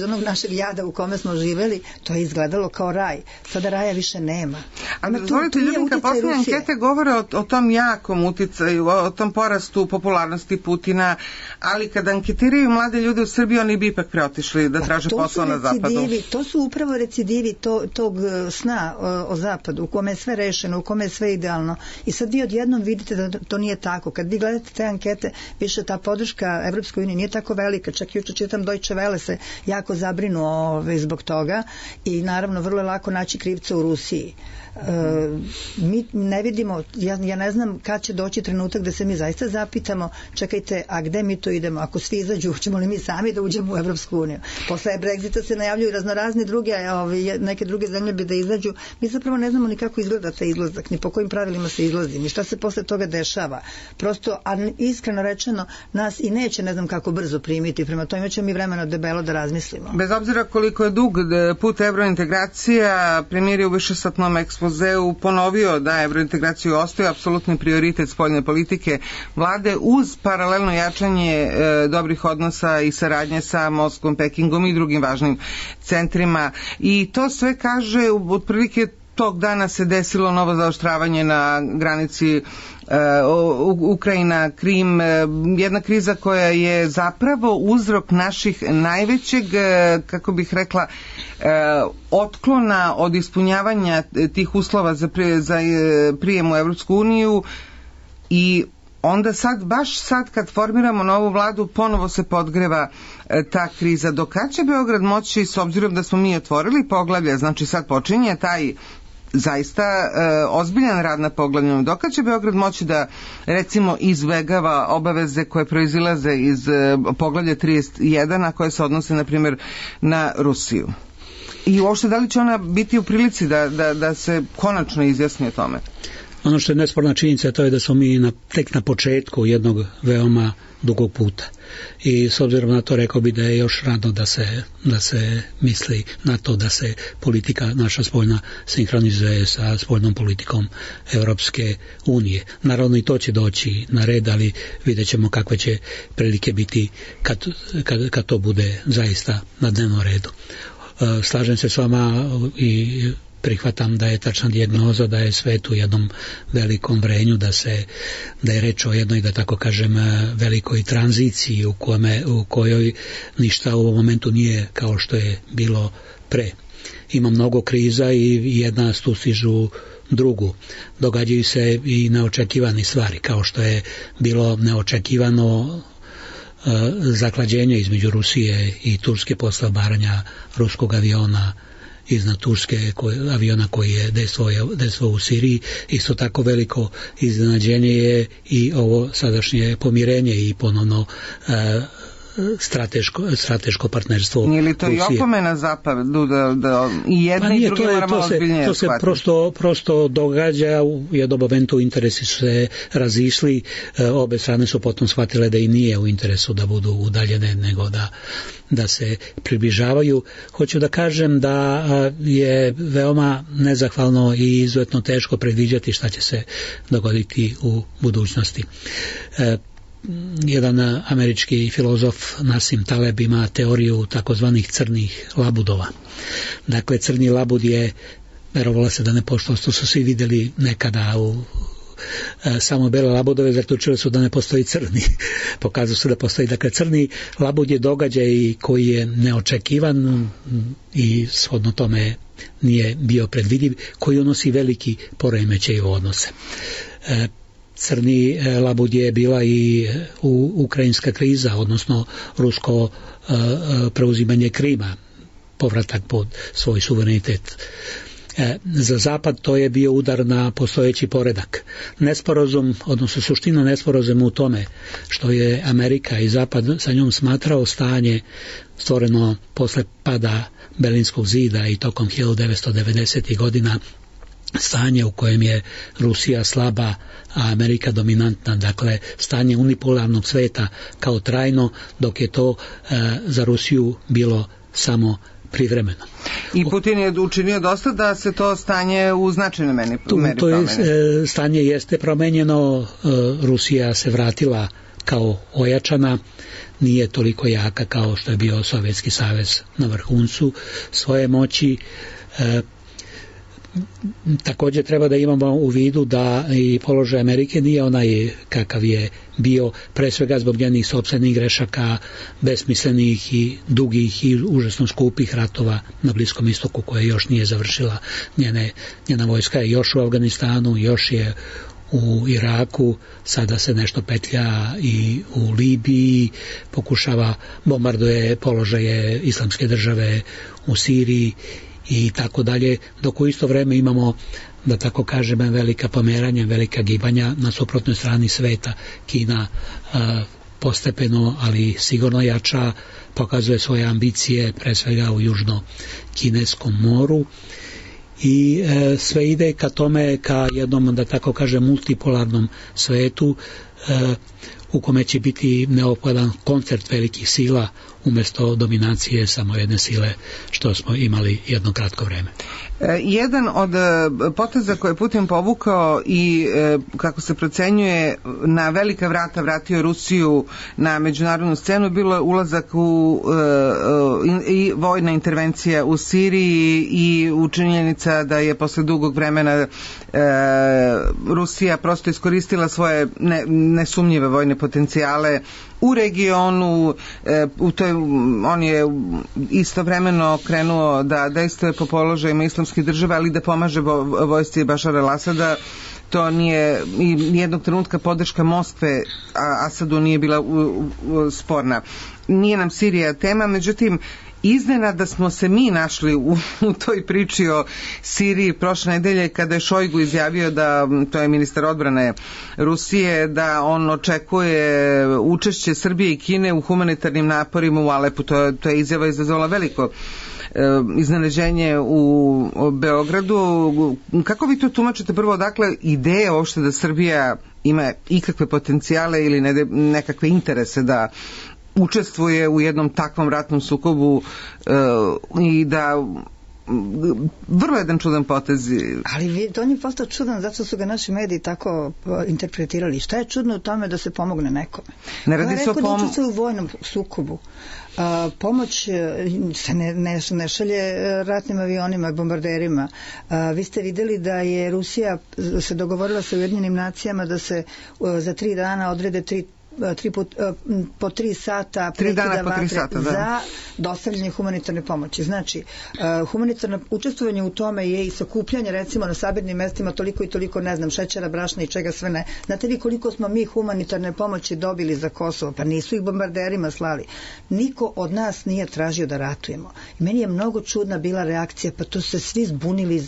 onog našeg jada u kome smo živeli, to je izgledalo kao raj. Sada raja više nema. Ali dozvolite, Ljubinka, posljednje ankete govore o tom jakom uticaju, o tom porastu popularnosti Putina, ali kada anketiraju mlade ljude u Srbiji, oni bi ipak preotišli da traže posao na Zapadu. To su upravo recidivi tog sna o Zapadu, u kome je sve rešeno, u kome je sve idealno. I sad vi odjednom vidite da to nije tako. Kad vi gledate te ankete, više ta podrška Evropskoj uniji nije tako velika. Čak juče čitam Deutsche Welle se jako zabrinuo zbog toga i naravno vrlo je lako naći krivca u Rusiji. Mi ne vidimo, ja ne znam kad će doći trenutak da se mi zaista zapitamo, čekajte, a gde mi to idemo? Ako svi izađu, ćemo li mi sami da uđemo u Evropsku uniju? Posle Brexita se najavljuju raznorazni druge, neke druge zemlje bi da izađu. Mi zapravo ne znamo ni kako izgleda taj izlazak, ni po kojim pravilima se izlazi, ni šta se posle toga dešava. Prosto, a iskreno rečeno, nas i neće ne znam kako brzo primiti, prema tome ćemo mi vremena debelo da razmislimo. Bez obzira koliko je dug put evrointegracija, premijer je u višesatnom ekspozeu ponovio da evrointegraciju ostaje apsolutni prioritet spoljne politike vlade uz paralelno jačanje dobrih odnosa i saradnje sa Moskvom, Pekingom i drugim važnim centrima. I to sve kaže, otprilike tog dana se desilo novo zaoštravanje na granici Ukrajina, Krim, jedna kriza koja je zapravo uzrok naših najvećeg, kako bih rekla, otklona od ispunjavanja tih uslova za prijem u Evropsku uniju, i onda baš sad kad formiramo novu vladu ponovo se podgreva ta kriza. Do kad će Beograd moći, s obzirom da smo mi otvorili poglavlje, znači sad počinje taj zaista ozbiljan rad na poglavlju, dok će Beograd moći da recimo izbegava obaveze koje proizilaze iz poglavlja 31, a koje se odnose na primjer na Rusiju? I uopšte da li će ona biti u prilici da se konačno izjasni o tome? Ono što je nesporna činjenica to je da smo mi tek na početku jednog veoma dugog puta. I s obzirom na to rekao bi da je još rano da se misli na to da se politika naša spoljna sinhronizuje sa spoljnom politikom Europske unije. Naravno i to će doći na red, ali vidjet ćemo kakve će prilike biti kad to bude zaista na dnevnom redu. Slažem se s vama i prihvatam da je tačna dijagnoza da je svet u jednom velikom vrenju, da je reč o jednoj, da tako kažem, velikoj tranziciji u kojoj ništa u ovom momentu nije kao što je bilo pre. Ima mnogo kriza i jedna stustižu drugu. Događaju se i neočekivane stvari, kao što je bilo neočekivano zaklađenje između Rusije i Turske posle obaranja ruskog aviona iznad Turske, aviona koji je dejstvovao u Siriji. Isto tako veliko iznenađenje je i ovo sadašnje pomirenje i ponovno strateško partnerstvo Rusije. Nije li to i opomena zapadu da i jedni i drugi moramo ozbiljnije to se prosto događa u jednom momentu, interesi su se razišli, obe strane su potom shvatile da i nije u interesu da budu udaljene nego da se približavaju. Hoću da kažem da je veoma nezahvalno i izuzetno teško predviđati šta će se dogoditi u budućnosti. Jedan američki filozof Nassim Taleb ima teoriju takozvanih crnih labudova. Dakle, crni labud je, verovalo se da ne pošto su svi vidjeli nekada samo bele labudove, zaključili su da ne postoji crni. Pokazalo se da postoji. Dakle, crni labud je događaj koji je neočekivan i shodno tome nije bio predvidiv, koji unosi veliki poremećaj u odnose. Crni labud je bila i ukrajinska kriza, odnosno rusko preuzimanje Krima, povratak pod svoj suverenitet. Za Zapad to je bio udar na postojeći poredak. Nesporazum, odnosno suština nesporazuma u tome što je Amerika i Zapad sa njom smatrao stanje stvoreno posle pada Berlinskog zida i tokom 1990. godina, stanje u kojem je Rusija slaba, a Amerika dominantna, dakle stanje unipolarnog sveta kao trajno, dok je to za Rusiju bilo samo privremeno. I Putin je učinio dosta da se to stanje u značajnoj meri promeni. Stanje jeste promenjeno, Rusija se vratila kao ojačana, nije toliko jaka kao što je bio Sovjetski savez na vrhuncu svoje moći. Također treba da imamo u vidu da i položaj Amerike nije onaj kakav je bio, pre svega zbog njenih sopstvenih grešaka, besmislenih i dugih i užasno skupih ratova na Bliskom istoku koje još nije završila. Njena vojska je još u Afganistanu, još je u Iraku, sada se nešto petlja i u Libiji, pokušava, bombarduje položaje Islamske države u Siriji i tako dalje, dok u isto vreme imamo, da tako kažem, velika pomeranja, velika gibanja na suprotnoj strani sveta. Kina postepeno, ali sigurno jača, pokazuje svoje ambicije, pre svega u Južno-Kineskom moru, i sve ide ka tome, ka jednom, da tako kažem, multipolarnom svetu u kome će biti neophodan koncert velikih sila umjesto dominacije samo jedne sile što smo imali jedno kratko vreme. Jedan od poteza koje je Putin povukao i kako se procenjuje na velika vrata vratio Rusiju na međunarodnu scenu bilo je ulazak i vojna intervencija u Siriji i učinjenica da je posle dugog vremena Rusija prosto iskoristila svoje nesumnjive vojne potencijale u regionu. On je istovremeno krenuo da dejstvuje po položajima islamskih država, ali da pomaže vojsci Bašara al-Asada. To nije nijednog trenutka podrška Moskve Asadu nije bila sporna. Nije nam Sirija tema, međutim iznenada smo se mi našli u toj priči o Siriji prošle nedelje kada je Šojgu izjavio da, to je ministar odbrane Rusije, da on očekuje učešće Srbije i Kine u humanitarnim naporima u Alepu. To je izjava izazvala veliko iznenađenje u Beogradu. Kako vi to tumačite? Prvo, dakle, ideja uopšte da Srbija ima ikakve potencijale ili nekakve interese da učestvuje u jednom takvom ratnom sukobu i da vrlo jedan čudan potez. Ali on je postao čudan zato što su ga naši mediji tako interpretirali. Šta je čudno u tome da se pomogne nekome? Ne radi se o da učestvuje u vojnom sukobu. Pomoć se ne šalje ratnim avionima, bombarderima. Vi ste videli da je Rusija se dogovorila sa Ujedinjenim nacijama da se za 3 dana odrede po 3 sata prekida vatre za dostavljanje humanitarne pomoći. Znači, humanitarno učestvovanje u tome je i sakupljanje, recimo na sabirnim mestima toliko i toliko, ne znam, šećera, brašna i čega sve ne. Znate li koliko smo mi humanitarne pomoći dobili za Kosovo? Pa nisu ih bombarderima slali. Niko od nas nije tražio da ratujemo. I meni je mnogo čudna bila reakcija, pa tu se svi zbunili,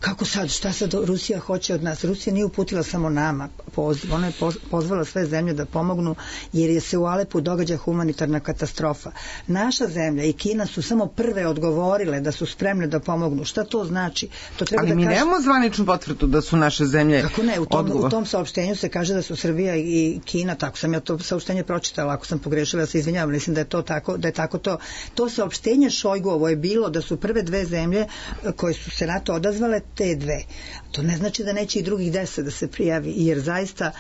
kako sad, šta sad Rusija hoće od nas? Rusija nije uputila samo nama poziv, ona je pozvala sve zemlje da pomognu, jer je se u Alepu događa humanitarna katastrofa. Naša zemlja i Kina su samo prve odgovorile da su spremne da pomognu. Šta to znači? To treba ali mi nemamo zvaničnu potvrdu da su naše zemlje u tom saopštenju se kaže da su Srbija i Kina, tako sam ja to saopštenje pročitala, ako sam pogrešila, ja se izvinjavam, mislim da je to tako, da je tako to. To saopštenje Šojguovo je bilo da su prve 2 zemlje koje su se na to odazvale, te 2. To ne znači da neće i drugih 10 da se prijavi, jer zaista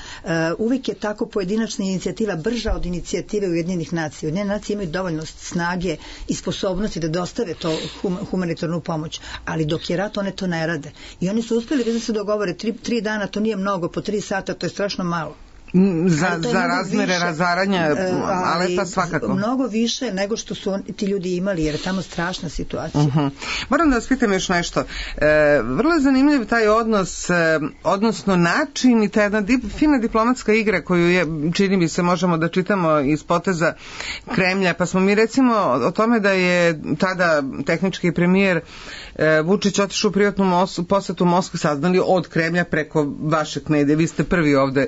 uvijek je tako pojedinačna inicijativa brža od inicijative Ujedinjenih nacija. Ujedinjene nacije imaju dovoljno snage i sposobnosti da dostave to humanitarnu pomoć, ali dok je rat one to ne rade. I oni su uspjeli da se dogovore 3 dana, to nije mnogo, po 3 sata to je strašno malo. Za razmere razaranja Alepa svakako. Mnogo više nego što su ti ljudi imali, jer je tamo strašna situacija. Moram da vas pitam još nešto. Vrlo je zanimljiv taj odnos, odnosno način i ta jedna fina diplomatska igra koju je, čini mi se, možemo da čitamo iz poteza Kremlja, pa smo mi recimo o tome da je tada tehnički premijer Vučić otišao u privatnu posetu Moskvu, saznali od Kremlja preko vašeg medija. Vi ste prvi ovde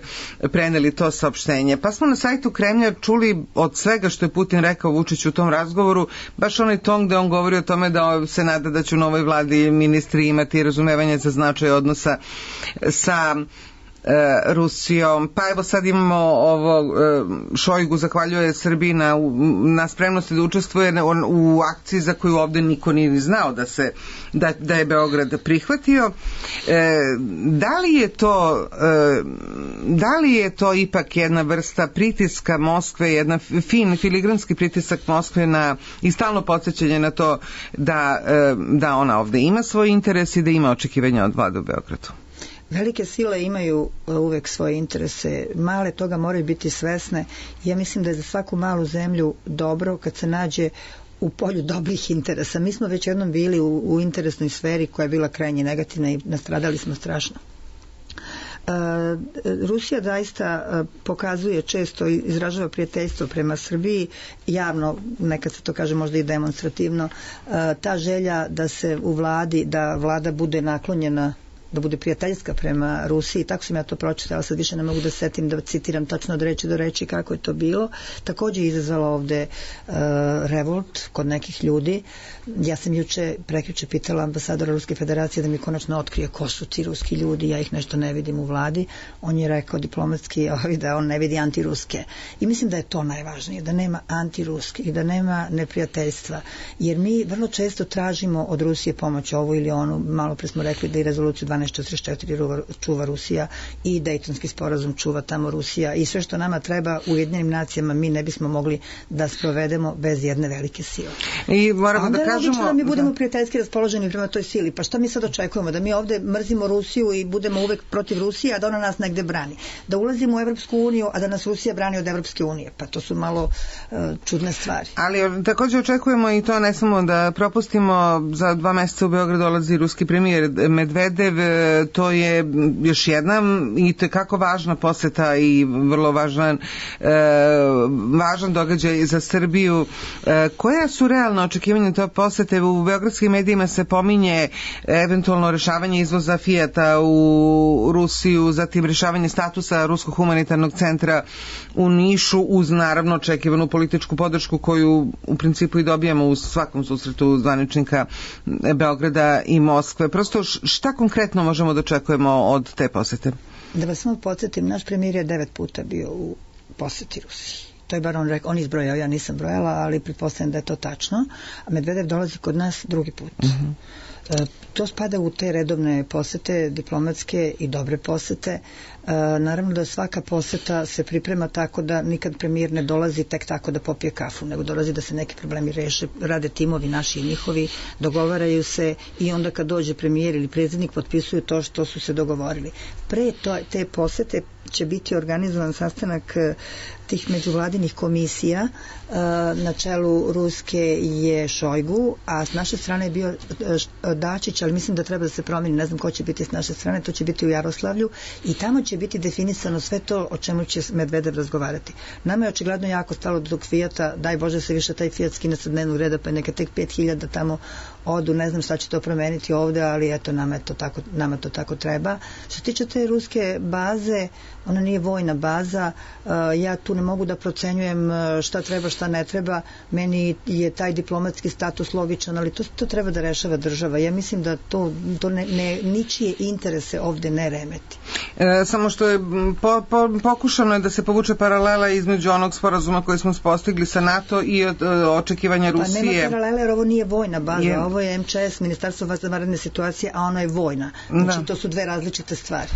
preneli to saopštenje. Pa smo na sajtu Kremlja čuli od svega što je Putin rekao Vučiću u tom razgovoru, baš onaj ton gde on govori o tome da se nada da će u novoj vladi ministri imati razumevanje za značaj odnosa sa Rusijom. Pa evo sad imamo ovo, Šojgu zahvaljuje Srbiji na spremnosti da učestvuje u akciji za koju ovde niko nije znao da je Beograd prihvatio. Da li je to ipak jedna vrsta pritiska Moskve, jedan filigranski pritisak Moskve i stalno podsjećanje na to da ona ovde ima svoj interes i da ima očekivanja od vlade u Beogradu? Velike sile imaju uvek svoje interese, male toga moraju biti svesne. Ja mislim da je za svaku malu zemlju dobro kad se nađe u polju dobrih interesa. Mi smo već jednom bili u interesnoj sferi koja je bila krajnje negativna i nastradali smo strašno. Rusija zaista pokazuje često, izražava prijateljstvo prema Srbiji, javno, nekad se to kaže možda i demonstrativno, ta želja da se u vladi, da vlada bude naklonjena, da bude prijateljska prema Rusiji, tako sam ja to pročitala, sad više ne mogu da setim da citiram tačno od reči do reči kako je to bilo. Također je izazvalo ovde revolt kod nekih ljudi. Ja sam prekjuče pitala ambasadora Ruske federacije da mi konačno otkrije ko su ti ruski ljudi, ja ih nešto ne vidim u vladi. On je rekao diplomatski da on ne vidi antiruske. I mislim da je to najvažnije, da nema antiruske i da nema neprijateljstva. Jer mi vrlo često tražimo od Rusije pomoć ovu ili onu, malo pre smo rekli da i rezoluciju 1244 čuva Rusija i Dejtonski sporazum čuva tamo Rusija i sve što nama treba u Ujedinjenim nacijama mi ne bismo mogli da sprovedemo bez jedne velike sile. I moramo da kažemo da mi budemo prijateljski raspoloženi prema toj sili. Pa šta mi sad očekujemo? Da mi ovde mrzimo Rusiju i budemo uvek protiv Rusije, a da ona nas negde brani. Da ulazimo u Evropsku uniju, a da nas Rusija brani od Evropske unije. Pa to su malo čudne stvari. Ali također očekujemo i to, ne samo da propustimo, za 2 meseca u Beograd dolazi ruski premijer Medvedev, to je još jedna i tekako važna poseta i vrlo važan događaj za Srbiju. Koja su realna očekivanja te posete? U beogradskim medijima se pominje eventualno rešavanje izvoza Fijata u Rusiju, zatim rešavanje statusa Ruskog humanitarnog centra u Nišu, uz naravno očekivanu političku podršku koju u principu i dobijamo u svakom susretu zvaničnika Beograda i Moskve. Prosto šta konkretno možemo da očekujemo od te posete? Da vas samo podsjetim, naš premijer je 9 puta bio u poseti Rusiji. To je bar on rekao, on izbrojao, ja nisam brojala, ali pretpostavljam da je to tačno. A Medvedev dolazi kod nas drugi put. To spada u te redovne posete, diplomatske i dobre posete. Naravno da svaka poseta se priprema tako da nikad premijer ne dolazi tek tako da popije kafu, nego dolazi da se neki problemi reše, rade timovi naši i njihovi, dogovaraju se i onda kad dođe premijer ili predsjednik potpisuju to što su se dogovorili. Pre te posete će biti organizovan sastanak tih međuvladinih komisija. Na čelu Ruske je Šojgu, a s naše strane je bio Dačić, ali mislim da treba da se promeni, ne znam ko će biti s naše strane, to će biti u Jaroslavlju i tamo će biti definisano sve to o čemu će Medvedev razgovarati. Nama je očigledno jako stalo do tog Fijata, daj Bože se više taj Fijat skine sa dnevnog reda, pa je neka tek 5000 tamo odu, ne znam šta će to promeniti ovde, ali eto, nama to tako treba. Što se tiče te ruske baze, ona nije vojna baza, ja tu ne mogu da procenjujem šta treba, šta ne treba, meni je taj diplomatski status logičan, ali to treba da rešava država. Ja mislim da to ničije interese ovde ne remeti. Samo što je pokušano je da se povuče paralela između onog sporazuma koji smo postigli sa NATO i očekivanja Rusije. Pa nema paralele jer ovo nije vojna baza, ovo je MČS, Ministarstvo za vanredne situacije, a ono je vojna. Znači to su dve različite stvari.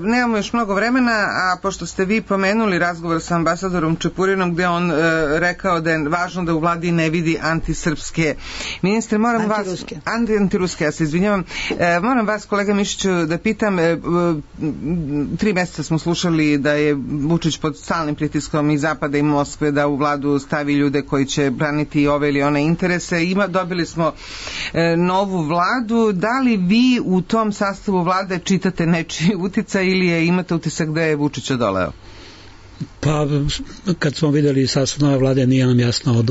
Nemamo još mnogo vremena, a pošto ste vi pomenuli razgovor sa ambasadorom Čepurinom gde on rekao da je važno da u vladi ne vidi antisrpske ministre, moram antiruske, ja se izvinjavam, moram vas, kolega Mišiću, da pitam, 3 meseca smo slušali da je Vučić pod stalnim pritiskom i Zapada i Moskve da u vladu stavi ljude koji će braniti ove ili one interese. Dobili smo novu vladu. Da li vi u tom sastavu vlade čitate nečiji uticaj ili imate utisak da je Vučić odoleo? Pa, kad smo videli sastav nove vlade, nije nam jasno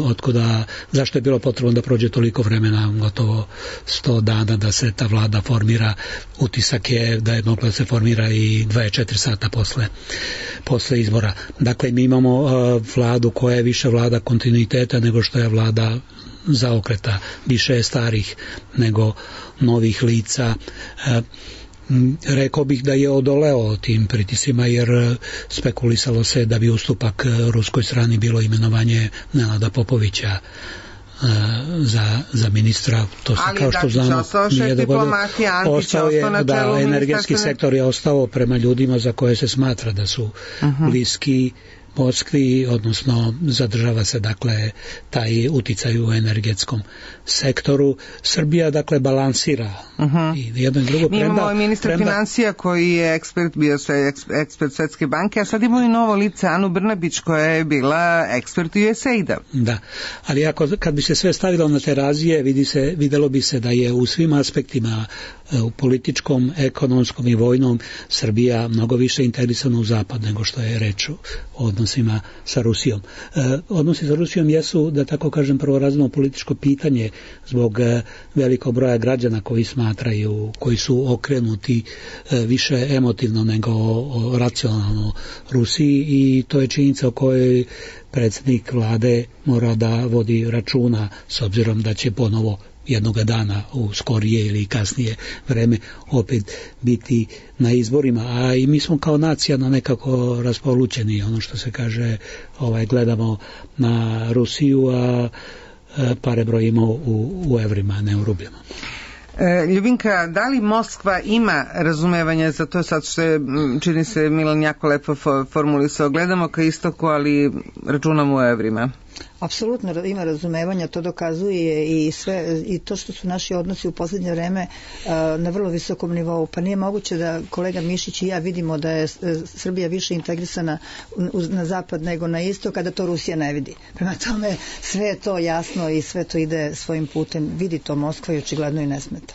zašto je bilo potrebno da prođe toliko vremena, gotovo 100 dana da se ta vlada formira. Utisak je da je mogla da se formira i 24 sata posle izbora. Dakle, mi imamo vladu koja je više vlada kontinuiteta nego što je vlada zaokreta, više je starih nego novih lica. Rekao bih da je odoleo tim pritisima, jer spekulisalo se da bi ustupak ruskoj strani bilo imenovanje Nenada Popovića za ministra. To se, kao što znamo, nije dogodilo. Ostao je, da, energetski sektor je ostao prema ljudima za koje se smatra da su bliski Moskvi, odnosno zadržava se dakle taj uticaj u energetskom sektoru. Srbija dakle balansira i jedno i drugo. Mi imamo ministra financija koji je ekspert Svetske banke, a sad imamo i novo lice Anu Brnabić koja je bila ekspert USAID-a. Da, ali kad bi se sve stavilo na terazije, videlo bi se da je u svim aspektima, u političkom, ekonomskom i vojnom, Srbija mnogo više integrisana u zapad nego što je reč o odnosima sa Rusijom. Odnosi sa Rusijom jesu, da tako kažem, prvorazredno političko pitanje zbog velikog broja građana koji smatraju, koji su okrenuti više emotivno nego racionalno Rusiji, i to je činjenica o kojoj predsjednik vlade mora da vodi računa, s obzirom da će ponovo jednoga dana u skorije ili kasnije vreme opet biti na izborima, a i mi smo kao nacija nekako raspolućeni, ono što se kaže, gledamo na Rusiju, a pare brojimo u evrima, ne u rubljama. Ljubinka, da li Moskva ima razumevanje za to, sad što je, čini se, Milan jako lepo formulisao, gledamo ka istoku, ali računamo u evrima? Apsolutno ima razumevanja, to dokazuje i to što su naši odnosi u posljednje vreme na vrlo visokom nivou. Pa nije moguće da kolega Mišić i ja vidimo da je Srbija više integrisana na zapad nego na istok, kada to Rusija ne vidi. Prema tome sve je to jasno i sve to ide svojim putem. Vidi to Moskva i očigledno i ne smeta.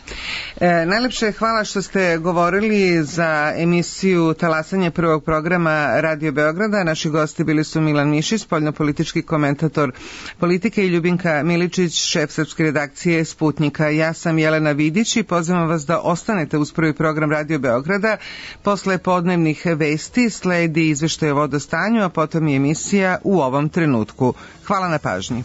Najlepše hvala što ste govorili za emisiju Talasanje prvog programa Radio Beograda. Naši gosti bili su Milan Mišić, spoljnopolitički komentator politike, i Ljubinka Miličić, šef srpske redakcije Sputnika. Ja sam Jelena Vidić i pozivam vas da ostanete uz prvi program Radio Beograda. Posle podnevnih vesti sledi izveštaj o vodostanju, a potom i emisija U ovom trenutku. Hvala na pažnji.